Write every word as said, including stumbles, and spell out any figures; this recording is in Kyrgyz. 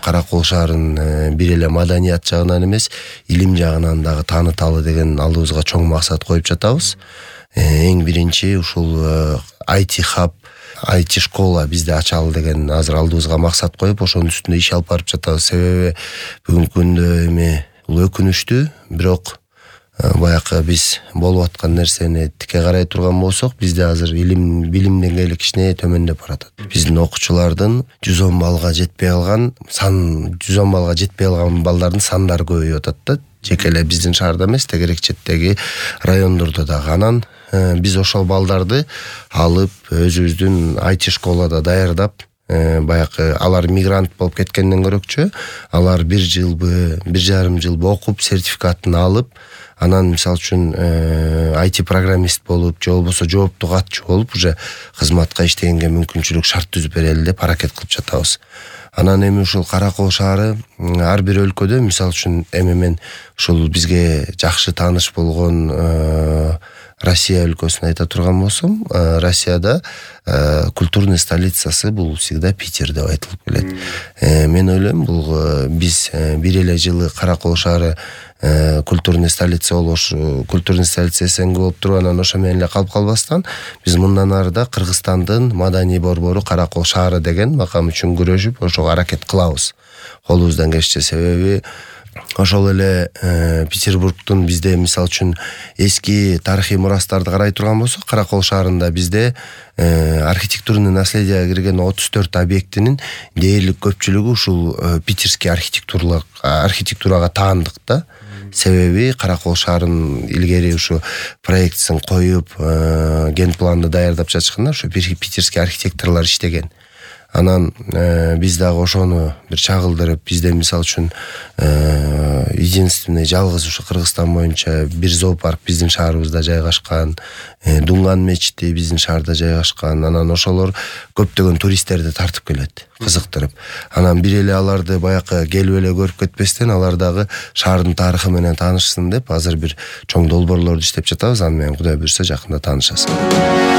Кара Кол шаарын бир эле маданият жагынан эмес, илим жагынан дагы тааныталы деген алдыбызга чоң максат коюп жатабыз. Эң биринчи ушул ай ти хаб, ай ти школа бизде ачалы деген азыр алдыбызга максат коюп, ошонун үстүндө иш алып барып жатабыз. Себеби бүгүнкү күндө эми бул өкүнүчтүү, бирок баякы биз болуп аткан нерсени тике карай турган болсок, бизде азыр илим, билим деңгээли кичине төмөндөп баратат. Биздин окуучулардын жүз он балга жетпей алган сан, жүз он балга жетпей алган балдардын сандары көбөйүп атат да. Жеке эле биздин шаарда эмес, тегерек четтеги райондордо дагы. Анан биз ошол балдарды алып өзүбүздүн ай ти школада даярдап, баякы алар мигрант болуп кеткенден көрөкчү, алар бир жылбы, бир жарым жылбы окуп, сертификатын алып, анан мисалы үчүн ай ти программист болуп, же болбосо жооптуу катчу болуп, уже кызматка иштегенге мүмкүнчүлүк шарт түзүп берели деп аракет кылып жатабыз. Анан эми ушул Кара Кол шаары ар бир өлкөдө, мисалы үчүн эми мен ушул бизге жакшы тааныш болгон Россия өлкөсүн айта турган болсом, Россияда культурный столицасы бул всегда Питер деп айтылып келет. Мен ойлойм, бул биз бир эле жылы Кара Кол шаары культурный столица болуш, культурный столица эсенги болуп туруп, анан ошо менен эле калып калбастан, биз мындан арыда Кыргызстандын маданий борбору Кара Кол шаары деген макам үчүн күрөшүп, ошого аракет кылабыз. Колубуздан келишче. Себеби ошол эле Петербургдун бизде мисалы үчүн эски тарыхый мурастарды карай турган болсок, Кара Кол шаарында бизде архитектурный наследиеге кирген отуз төрт объектинин дээрлик көпчүлүгү ушул питерский архитектуралык архитектурага таандык да. Себеби Кара Кол шаарын илгери ушу проектсин коюп, генпланды даярдап жатышканда ушу питерский архитекторлор иштеген. Анан биз дагы ошону бир чагылдырып, бизде мисалы үчүн единственный жалгыз ушу Кыргызстан боюнча бир зоопарк биздин шаарыбызда жайгашкан, Дунган мечити биздин шаарда жайгашкан. Анан ошолор көптөгөн туристтерди тартып келет, кызыктырып. Анан бир эле аларды баякы келип эле көрүп кетпестен, алар дагы шаардын тарыхы менен таанышсын деп азыр бир чоң долбоорлорду иштеп жатабыз. Аны менен Кудай буйрса жакында таанышасың.